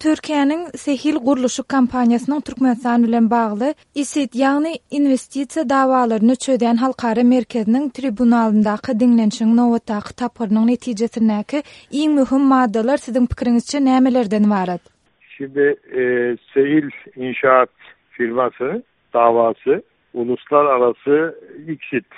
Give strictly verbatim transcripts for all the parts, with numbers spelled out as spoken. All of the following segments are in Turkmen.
Türkiýäniň Sehil gurluşyk kompaniýasynyň Türkmenistan bilen bagly ISIT, ýagny Inwestisiýa dawalaryny çözýän halkara merkeziniň tribunalyndaky diňlenişigiň nobatdaky tapgyrynyň netijesindäki iň möhüm maddalar siziň pikiriňizçe nämelerden ybarat? Şimdi e, Sehil İnşaat firması davası uluslararası ICSID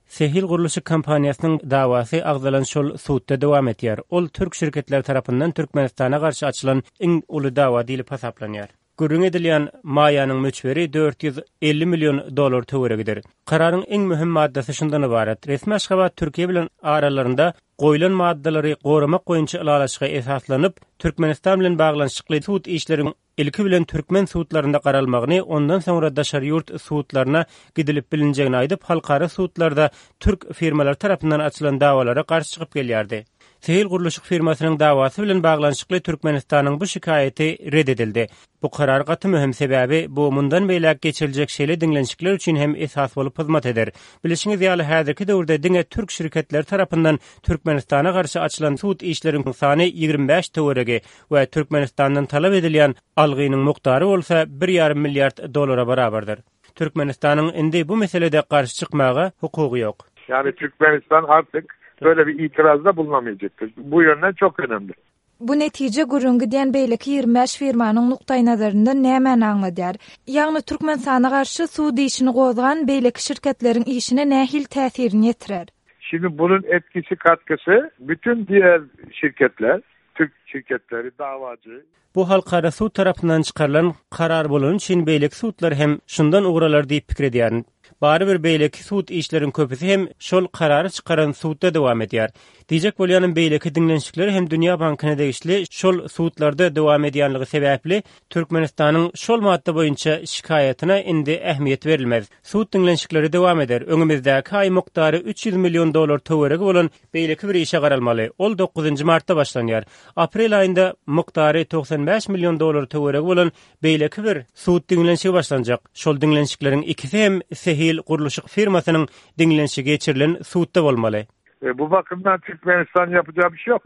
Sehil gurluşyk kompaniýasynyň dawasy agzalan şol sudda dowam edýär. Ol türk şirketleri tarapyndan Türkmenistana garşy açylan iň uly dawa diýlip hasaplanýar. Gürrüň edilýän maýanyň möçberi dört ýüz elli million dollar töweregidir. Kararyň iň möhüm maddasy şundan ybarat. Resmi Aşgabat Türkiýe bilen aralarynda goýlan maddalary goramak boýunça ylalaşyga esaslanyp, Türkmenistan bilen baglanyşykly sud işleriň ilki bilen türkmen sudlarynda garalmagyny, ondan soňra daşary ýurt sudlaryna gidilip bilinjegini aýdyp, halkara sudlarda türk firmalary tarapyndan açylan dawalara garşy çykyp gelýärdi. Sehil gurluşyk firmasynyň dawasy bilen baglanyşykly Türkmenistanyň bu şikaýaty red edildi. Bu karar gaty möhüm, sebäbi bu mundan beýläk geçiriljek şeýle diňlenişikler üçin hem esas bolup hyzmat eder. Bilişiňiz ýaly, häzirki döwürde diňe türk şirketleri tarapyndan Türkmenistana garşy açylan sud işleriň sany ýigrimi bäş töweregi we Türkmenistandan talap edilýän algynyň mukdary bolsa bir ýarym milliard dollara barabardyr. Türkmenistanyň indi bu meselede garşy çykmaga hukugy ýok. Yani Türkmenistan artık böyle bir itirazda bulunamayacaktır. Bu yönden çok önemli. Bu netije gürrüň gidýän beýleki ýigrimi bäş firmanyň nukdaýnazaryndan nämäni aňladýar? Ýagny Türkmenistana garşy sud işini gozgan beýleki şirketleriň işine nähili täsirini ýetirer? Şimdi bunun etkisi, katkısı bütün diğer şirketler, Türk şirketleri, davacı. Bu halkara sud tarapyndan çykarylan karar bolany üçin beýleki sudlar hem şundan ugur alar diýip pikir edýärin. Barybir beýleki sud işleriň köpüsi hem şol karary çykaran sudda dowam edýär. Diýjek bolýanym, beýleki diňlenişikler hem Dünýä Bankyna degişli şol sudlarda dowam edýänligi sebäpli Türkmenistanyň şol madda boýunça şikaýatyna indi ähmiýet berilmez. Sud diňlenişikleri dowam eder. Öňümizdäki aý mukdary üç ýüz million dollar töweregi bolan beýleki bir işe garalmaly. Ol dokuzynjy martda başlanýar. Aprel aýynda mukdary togsan bäş million dollar töweregi bolan beýleki bir sud diňlenişigi başlanjak. Şol diňlenişikleriň ikisi hem Sehil gurluşyk firmasynyň diňlenişigi geçirilen sudda bolmaly. E, bu bakımdan Türkmenistan yapacağı bir şey yok.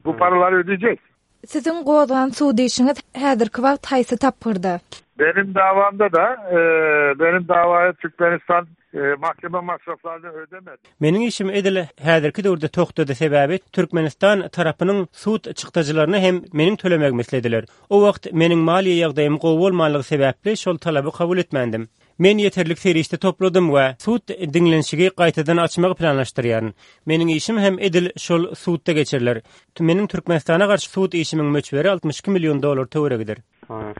Bu paraları ödeyecek. Siziň gozgan sud işiňiz häzirki wagt haýsy tapgyrda? Benim davamda da, e, benim davaya Türkmenistan, e, mahkeme masraflarını ödemedi. Meniň işim edil häzirki döwürde togtady, sebäbi Türkmenistan tarapynyň sud çykdajylaryny hem meniň tölemegimi islediler. O wagt meniň maliýe ýagdaýym gowy bolmanlygy sebäpli şol talaby kabul etmändim. Men ýeterlik serişde topladym we sud diňlenişigi gaýtadan açmagy planlaşdyrýaryn. Meniň işim hem edil şol sudda geçiriler. Meniň Türkmenistana garşy sud işimiň möçberi altmyş iki million dollar töweregidir.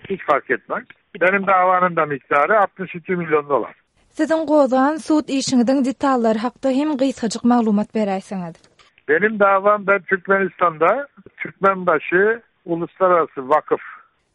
Hiç fark etmez. Benim davanın da miktarı altmyş iki milyon dolar. Siziň gozgan sud işiňiziň detallary hakda hem gysgajyk maglumat beräýseňiz. Benim davam ben Türkmenistan'da Türkmenbaşı Uluslararası Vakıf.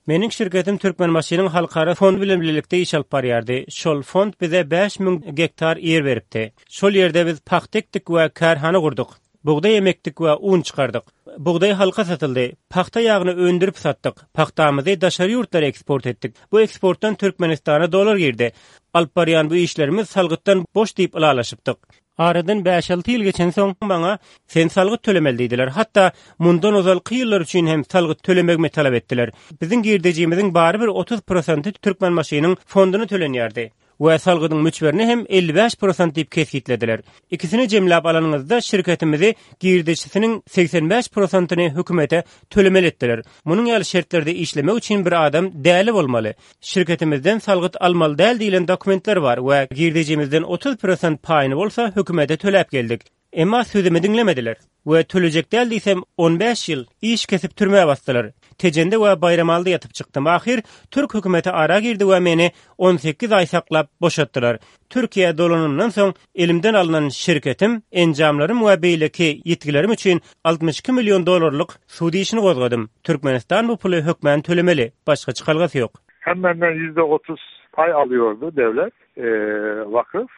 Meniň şirketim Türkmenbaşynyň halkara fondy bilen birlikde iş alyp barýardy. Şol fond bize bäş müň gektar ýer beripdi. Şol ýerde biz pagta ekdik we kärhana gurduk. Bugdaý emekdik we un çykardyk. Bugdaý halka satyldy. Pagta ýagyny öndürip satdyk. Pagtamyzy daşary ýurtlara eksport etdik. Bu eksportdan Türkmenistana dolar girdi. Alyp barýan bu işlerimiz salgytdan boş diýip ylalaşypdyk. Aradan bäş alty ýyl geçen soň maňa sen salgyt tölemeli diýdiler. Hatda mundan ozalky ýyllar üçin hem salgyt tölemegimi talap etdiler. Biziň girdejimiziň bary bir otuz prosenti Türkmenbaşynyň fonduny tölenýärdi. We salgydyň möçberini hem elli bäş prosent diýip kesgitlediler. Ikisini jemläp alanyňyzda şirketimizi girdejisiniň segsen bäş prosentini hökümete tölemeli etdiler. Munuň ýaly şertlerde işlemek üçin bir adam däli bolmaly. Şirketimizden salgyt almaly däl diýlen dokumentler bar we girdejimizden otuz prosent paýyny bolsa hökümete töläp geldik. Emma sözümi diňlemediler we tölejek däl diýsem on bäş ýyl iş kesip türmä basdylar. Tejende we Baýramalda ýatyp çykdym. Ahyr Türk hökümeti ara girdi we meni on sekiz aý saklap boşatdylar. Türkiýe dolanymdan soň elimden alynan şirketim, enjamlarym we beýleki ýitgilerim üçin altmyş iki million dollarlyk sud işini gozgadym. Türkmenistan bu puly hökmän tölemeli, başga çykalgasy ýok. Hem benden yüzde otuz pay alıyordu devlet, e, vakıf.